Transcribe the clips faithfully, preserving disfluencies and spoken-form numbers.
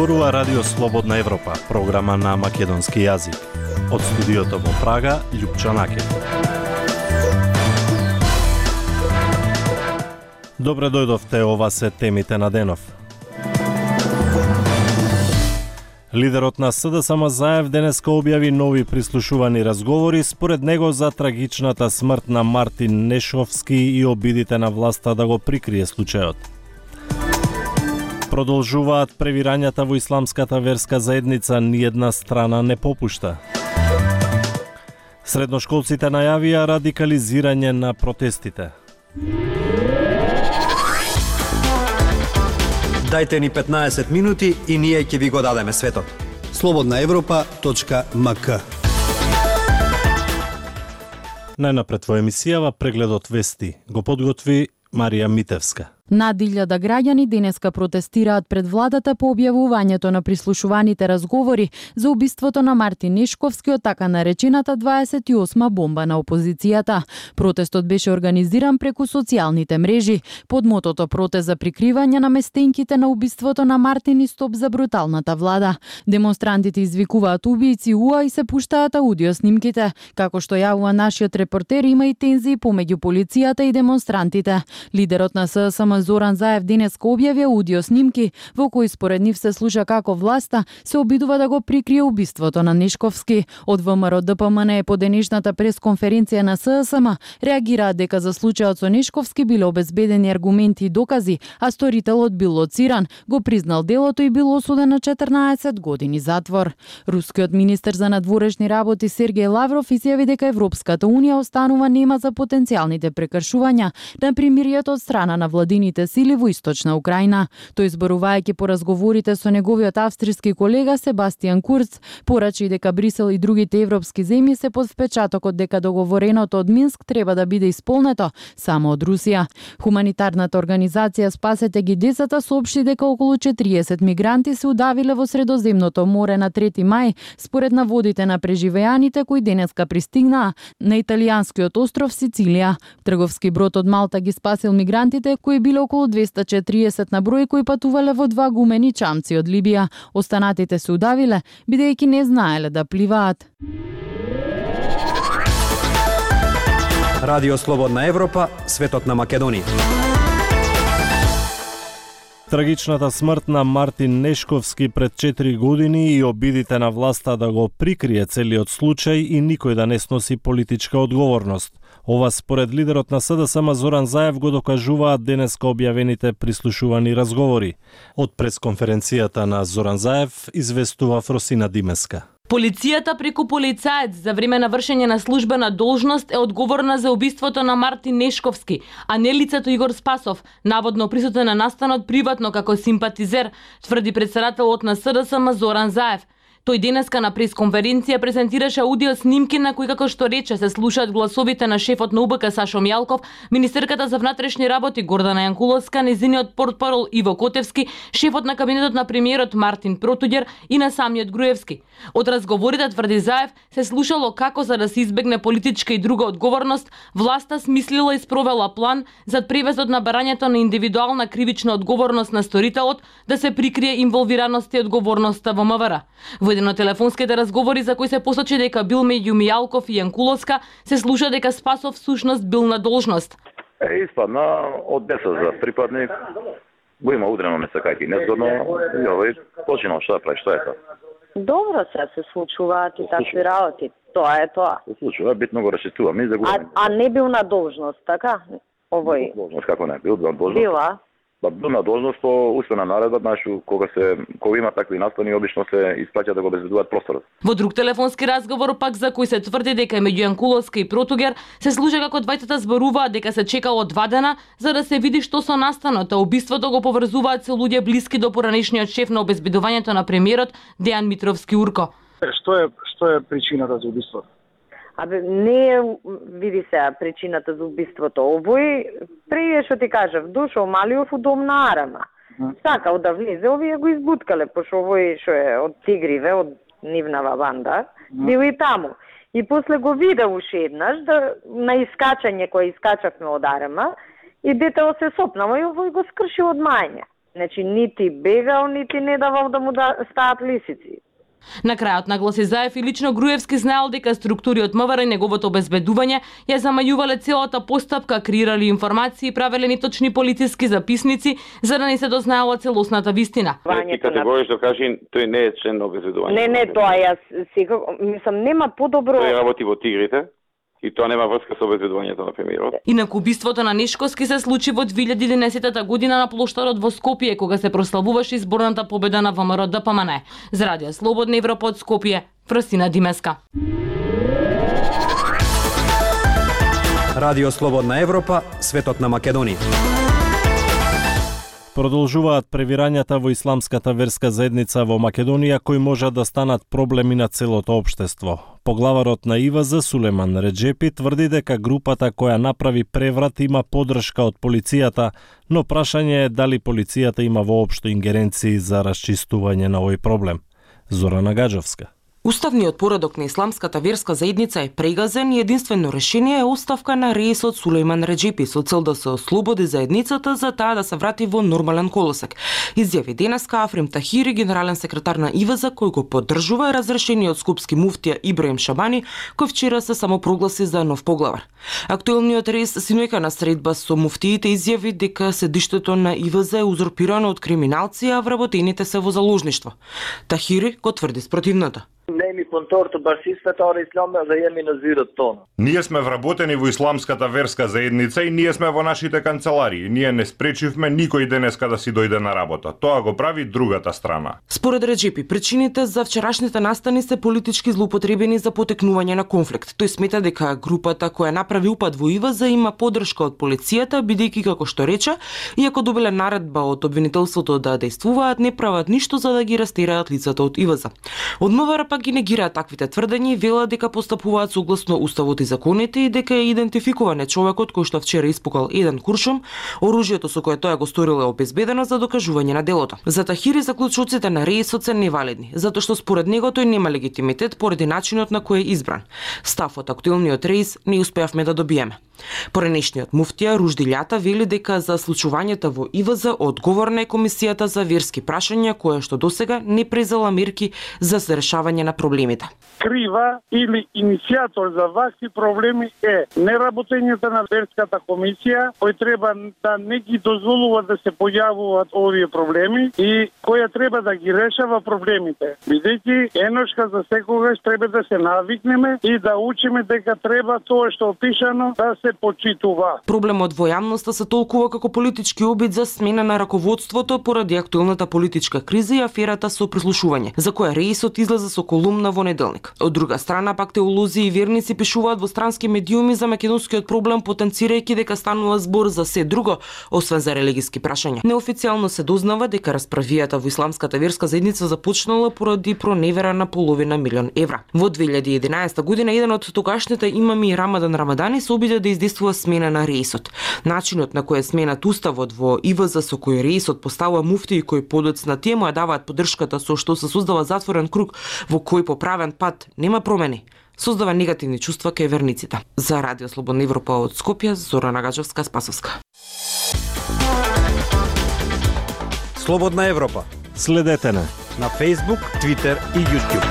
зборува Радио Слободна Европа, програма на македонски јазик. Од студиото во Прага, Љупчо Накев. Добре дојдовте, ова се темите на денов. Лидерот на СДСМ Заев денеска објави нови прислушувани разговори според него за трагичната смрт на Мартин Нешковски и обидите на власта да го прикрие случајот. Продолжуваат превирањата во исламската верска заедница, ниедна страна не попушта. Средношколците најавија радикализирање на протестите. Дајте ни петнаесет минути и ние ќе ви го дадеме светот. слободна европа точка ем ка. Најнапред во емисијава прегледот вести го подготви Марија Митевска. Над илјада граѓани денеска протестираат пред владата по објавувањето на прислушуваните разговори за убиството на Мартин Нешковски од така наречената дваесет и осма бомба на опозицијата. Протестот беше организиран преку социјалните мрежи под мотото протест за прикривање на местенките на убиството на Мартин и стоп за бруталната влада. Демонстрантите извикуваат убијци уа и се пуштаат аудио снимките. Како што јавува нашиот репортер, има и тензии помеѓу полицијата и демонстрантите. Лидерот на СДСМ Зоран Заев денеска објави аудио снимки во кои според нив се слуша како власта се обидува да го прикрие убиството на Нешковски. Од ВМРО Д П М Н по денешната пресконференција на СДСМ реагираат дека за случајот со Нешковски биле обезбедени аргументи и докази, а сторителот бил лоциран, го признал делото и бил осуден на четрнаесет години затвор. Рускиот министер за надворешни работи Сергеј Лавров изјави дека Европската унија останува нема за потенцијалните прекршувања на примирието од страна на владините сили во источна Украина. Тој, зборувајќи по разговорите со неговиот австријски колега Себастијан Курц, порачи дека Брисел и другите европски земји се под впечатокот дека договореното од Минск треба да биде исполнето само од Русија. Хуманитарната организација Спасете ги децата соопшти дека околу четириесет мигранти се удавиле во Средоземното море на трети мај, според наводите на преживеаните кои денеска пристигнаа на италијанскиот остров Сицилија. Трговски брод од Малта ги спасил мигрантите кои биле околу двеста и четириесет на број кои патувале во два гумени чамци од Либија. Останатите се удавиле бидејќи не знаеле да пливаат. Радио Слободна Европа, светот на Македонија. Трагичната смрт на Мартин Нешковски пред четири години и обидите на власта да го прикрие целиот случај и никој да не сноси политичка одговорност. Ова според лидерот на СДСМ Зоран Заев го докажуваат денеска објавените прислушувани разговори. Од пресконференцијата на Зоран Заев известува Фросина Димеска. Полицијата преку полицаец за време на вршење на службена должност е одговорна за убиството на Мартин Нешковски, а не лицето Игор Спасов, наводно присутен на настанот приватно како симпатизер, тврди претседателот на СДСМ Зоран Заев. Тој денеска на пресконференција презентираше аудио снимки на кои, како што рече, се слушаат гласовите на шефот на У Б К Сашо Мјалков, министерката за внатрешни работи Гордана Јанкуловска, незиниот портпарол Иво Котевски, шефот на кабинетот на премиерот Мартин Протуѓер и на самиот Груевски. Од разговорите, тврди Заев, се слушало како за да се избегне политичка и друга одговорност, власта смислила и спровела план за превезот на барањето на индивидуална кривична одговорност на сторителот, да се прикрие инволвираноста и одговорноста во М В Р. Во еден од телефонските разговори за кои се посочи дека бил меѓу Мијалков и Јанкуловска, се слуша дека Спасов всушност бил на должност. Е, испадна од десет за припадник, го има удрено не сакајки незгодно, и овој починал што да прави, што е тоа? Добро се се случуваат и такви работи. Тоа е тоа. Се случува, битно го расчитуваме и за го. А, а не бил на должност, така? Овој. Должност како не, бил на должност. Била. Ба бил на должност по уствена наредба, знаеш, кога се кога има такви настани, обично се испраќа да го обезбедуваат просторот. Во друг телефонски разговор пак за кој се тврди дека меѓу Јанкуловска и Протуѓер се слуша како двајцата зборуваат дека се чекало два дена за да се види што со настанот, а убиството го поврзуваат со луѓе блиски до поранешниот шеф на обезбедувањето на премиерот Дејан Митровски Урко. Што е што е причината за убиството? Абе, не е, види се, причината за убиството. Овој, преје што ти кажав, дошол Малиов у дом на Арама. Сакал да влезе, овие го избуткале, пошто овој што е од Тигриве, од нивнава банда, бил и таму. И после го видел уште еднаш, да, на искачање, кој искачавме од Арама, и детево се сопнало и овој го скрши од мајње. Значи, нити бегал, нити не давал да му да стаат лисици. На крајот нагласи Заев и лично Груевски знаел дека структури од МВР и неговото обезбедување ја замајувале целата постапка, креирали информации и правеле неточни полициски записници за да не се дознаела целосната вистина. И категорично кажи, тој не е член на обезбедување. Не, не, тоа јас секако, мислам, нема подобро. Тој работи во Тигрите. И тоа нема врска со обезбедувањето на премиерот. Инаку убиството на Нешковски се случи во две илјади и единаесета година на плоштадот во Скопје, кога се прославуваше изборната победа на ВМРО Д П М Н. За Радио Слободна Европа од Скопје, Фрсина Димеска. Радио Слободна Европа, светот на Македонија. Продолжуваат превирањата во исламската верска заедница во Македонија, кои можат да станат проблеми на целото општество. Поглаварот на И В З Сулеман Реджепи тврди дека групата која направи преврат има поддршка од полицијата, но прашање е дали полицијата има воопшто ингеренции за расчистување на овој проблем. Зорана Гаджовска. Уставниот поредок на исламската верска заедница е прегазен и единствено решение е оставка на реисот Сулейман Реджепи со цел да се ослободи заедницата за таа да се врати во нормален колосек. Изјави денеска Африм Тахири, генерален секретар на И В З, кој го поддржува разрешениот скопски муфтија Ибраим Шабани, кој вчера се самопрогласи за нов поглавар. Актуелниот реис синојка на средба со муфтиите изјави дека седиштето на И В З е узурпирано од криминалци, а вработените се во заложништво. Тахири го тврди спротивното. Nemi punëtor të Bashkisë Fetare Islame dhe jemi në zyrët tonë. Ние сме вработени во исламската верска заедница и ние сме во нашите канцеларии. Ние не спречивме никој денеска да си дојде на работа. Тоа го прави другата страна. Според Реджепи, причините за вчерашните настани се политички злоупотребени за потекнување на конфликт. Тој смета дека групата која направи упад во И В З има поддршка од полицијата, бидејќи како што рече, иако добиле наредба од обвинителството да действуваат, не прават ништо за да ги растераат лицата од И В З. Од МВР пак ги негираат таквите тврдења и велат дека постапуваат согласно уставот и законите и дека е идентификуван човекот кој што вчера испукал еден куршум, оружјето со кое тоа го сторил е обезбедено за докажување на делото. За Тахири заклучоците на реисот се невалидни, затоа што според него тој нема легитимитет поради начинот на кој е избран. Став од актуелниот реис не успеавме да добиеме. Поранешниот муфтија Ружди Љата вели дека за случувањата во И В З одговорна е комисијата за верски прашања која што досега не презела мерки за решавање на проблемите. Крива или иницијатор за вакви проблеми е неработењето на верската комисија, кој треба да не ги дозволува да се појавуваат овие проблеми и која треба да ги решава проблемите. Бидејќи еношка за секогаш треба да се навикнеме и да учиме дека треба тоа што опишано да се почитува. Проблемот во јавноста се толкува како политички обид за смена на раководството поради актуелната политичка криза и аферата со прислушување, за која реисот излезе со колумна во неделник. Од друга страна, пак теолози и верници пишуваат во странски медиуми за македонскиот проблем, потенцирајќи дека станува збор за се друго, освен за религиски прашања. Неофицијално се дознава дека расправијата во исламската верска заедница започнала поради проневера на половина милион евра. Во две илјади и единаесета година еден од тогашните имами Рамадан Рамадани се обиде да издействува смена на реисот. Начинот на кој е сменат уставот во И В З со кој реисот поставува муфти и кој подоцна тие му ја даваат поддршката со што се создава затворен круг во кој по правен пат нема промени, создава негативни чувства кај верниците. За Радио Слободна Европа од Скопје, Зорана Гаджовска, Спасовска. Слободна Европа. Следете на на Facebook, Twitter и YouTube.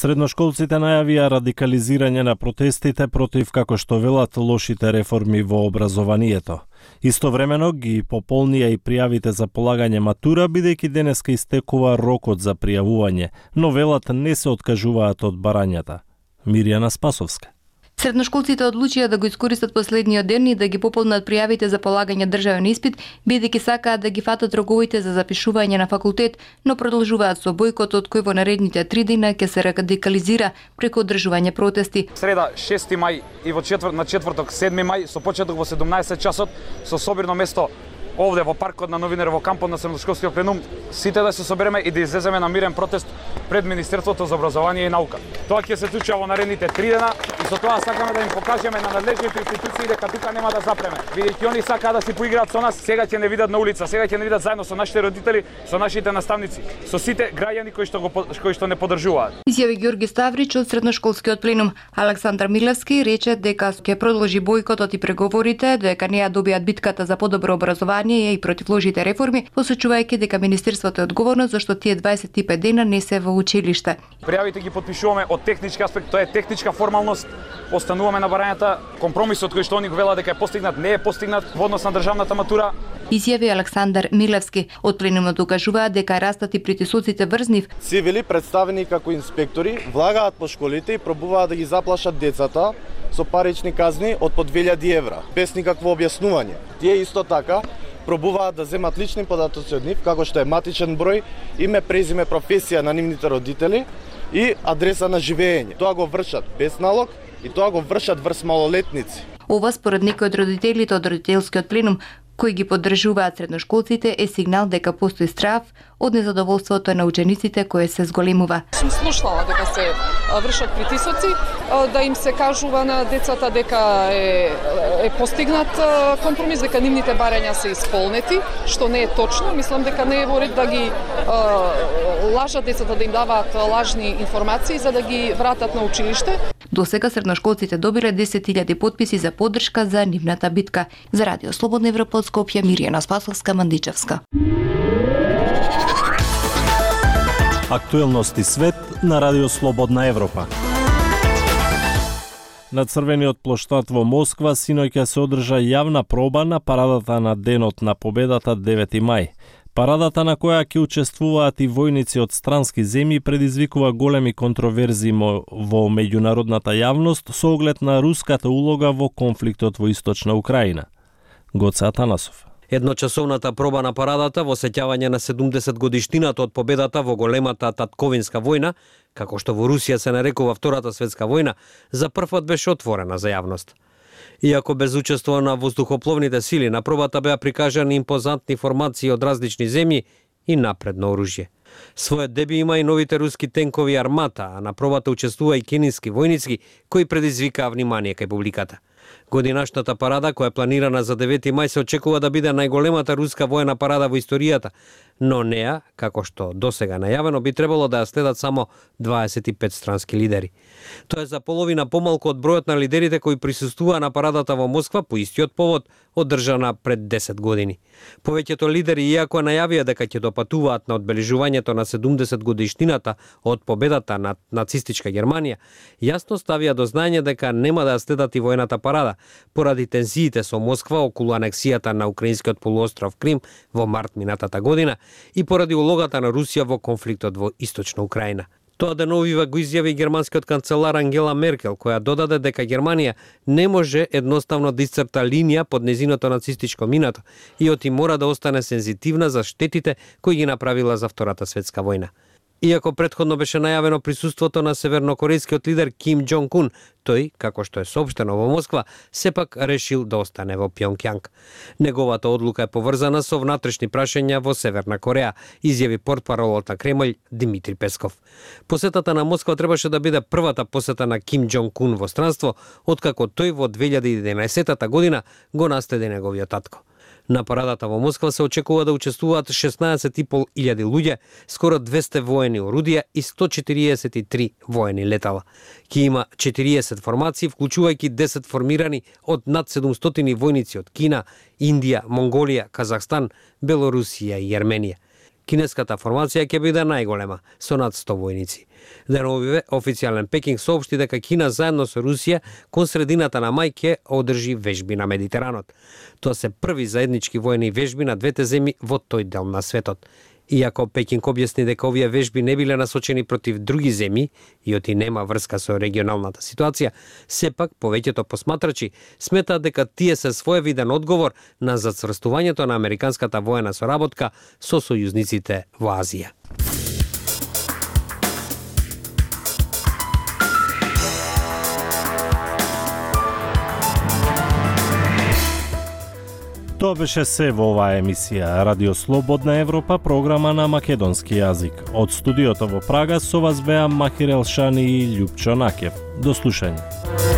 Средношколците најавија радикализирање на протестите против, како што велат, лошите реформи во образованието. Истовремено ги пополнија и пријавите за полагање матура, бидејќи денеска истекува рокот за пријавување, но велат не се откажуваат од барањата. Мирјана Спасовска. Средношколците одлучија да го искористат последниот ден и да ги пополнат пријавите за полагање државен испит, бидејќи сакаат да ги фатат роковите за запишување на факултет, но продолжуваат со бојкотот кој во наредните три дена ќе се радикализира преку одржување протести. Среда шести мај и во четвр... на четврток седми мај со почеток во седумнаесет часот со собирно место овде во паркот на Новинар во кампот на Средношколскиот пленум, сите да се собереме и да излеземе на мирен протест пред Министерството за образование и наука. Тоа ќе се случи во наредните три дена и со тоа сакаме да им покажеме на надлежните институции дека тука нема да запреме. Бидејќи они сакаат да си поиграат со нас, сега ќе не видат на улица, сега ќе не видат заедно со нашите родители, со нашите наставници, со сите граѓани кои што го кои што не поддржуваат. Изјави Ѓорги Ставрич од средношколскиот пленум. Александар Милевски рече дека ќе продолжи бојкотот и преговорите дека не ја добијат битката за подобро образование и против лошите реформи, посочувајќи дека министерството е одговорно зашто тие дваесет и пет дена не се во училиште. Пријавите ги потпишуваме од технички аспект, тоа е техничка формалност. Остануваме на барањата, компромисот кој што они го велат дека е постигнат не е постигнат во однос на државната матура. Изјави Александар Милевски. Од пленумот докажуваат дека растат и притисоците врз нив. Цивили представени како инспектори влагаат по школите и пробуваат да ги заплашат децата со парични казни од по две илјади евра, без никакво објаснување. Тие исто така пробуваат да земат лични податоци од нив, како што е матичен број, име, презиме, професија на нивните родители и адреса на живење. Тоа го вршат без налог и тоа го вршат врз малолетници. Ова според некои од родителите од родителскиот пленум кои ги поддржуваат средношколците е сигнал дека постои страв од незадоволството на учениците кое се зголемува. Сум слушнала дека се вршат притисоци, да им се кажува на децата дека е, е постигнат компромис, дека нивните барања се исполнети, што не е точно. Мислам дека не е во ред да ги а, лажат децата, да им даваат лажни информации за да ги вратат на училиште. До сега средношколците добиле десет илјади потписи за поддршка за нивната битка. За Радио Слободна Европа од Скопје, Миријана Спасовска-Мандичевска. Актуелности свет на Радио Слободна Европа. На Црвениот плоштад во Москва синоќа се одржа јавна проба на парадата на Денот на победата девети мај. Парадата на која ќе учествуваат и војници од странски земји предизвикува големи контроверзии во меѓународната јавност со оглед на руската улога во конфликтот во Источна Украина. Гоце Атанасов. Едночасовната проба на парадата во сеќавање на седумдесет годишнината од победата во големата татковинска војна, како што во Русија се нарекува Втората светска војна, за првпат беше отворена за јавност. Иако без учество на воздухопловните сили, на пробата беа прикажани импозантни формации од различни земји и напредно оружје. Својот деби има и новите руски тенкови Армата, а на пробата учествува и кинески војници кои предизвикаа внимание кај публиката. Годинашната парада, која е планирана за девети мај, се очекува да биде најголемата руска воена парада во историјата, но неа, како што досега најавено, би требало да ја следат само дваесет и пет странски лидери. Тоа е за половина помалку од бројот на лидерите кои присуствуваа на парадата во Москва по истиот повод одржана пред десет години. Повеќето лидери, иако најавија дека ќе допатуваат на одбележувањето на седумдесет годишнината од победата над нацистичка Германија, јасно ставија до знаење дека нема да ја следат и војната парада, поради тензиите со Москва околу анексијата на украинскиот полуостров Крим во март минатата година и поради улогата на Русија во конфликтот во Источна Украина. Тоа деновива го изјави германскиот канцелар Ангела Меркел, која додаде дека Германија не може едноставно да исцрта линија под незиното нацистичко минато и оти мора да остане сензитивна за штетите кои ги направила за Втората светска војна. Иако претходно беше најавено присуството на севернокорејскиот лидер Ким Џонг Ун, тој, како што е соопштено во Москва, сепак решил да остане во Пјонкјанг. Неговата одлука е поврзана со внатрешни прашања во Северна Кореја, изјави портпаролот на Кремљ Димитри Песков. Посетата на Москва требаше да биде првата посета на Ким Џонг Ун во странство, откако тој во две илјади и единаесетта година го наследи неговиот татко. На парадата во Москва се очекува да учествуваат шеснаесет и пол илјади луѓе, скоро двесте воени орудија и сто четириесет и три воени летала. Ки има четириесет формации, вклучувајќи десет формирани од над седумстотини војници од Кина, Индија, Монголија, Казахстан, Белорусија и Јерменија. Кинеската формација ќе биде најголема, со над сто војници. Деновиве, официјален Пекинг соопшти дека Кина заедно со Русија кон средината на мај ќе одржи вежби на Медитеранот. Тоа се први заеднички воени вежби на двете земји во тој дел на светот. Иако Пекинг објасни дека овие вежби не биле насочени против други земји и оти нема врска со регионалната ситуација, сепак повеќето посматрачи сметаат дека тие се своевиден одговор на зацврстувањето на американската воена соработка со сојузниците во Азија. Тоа беше се во оваа емисија Радио Слободна Европа, програма на македонски јазик. Од студиото во Прага со вас беа Махир Елшани и Љупчо Накев. До слушање.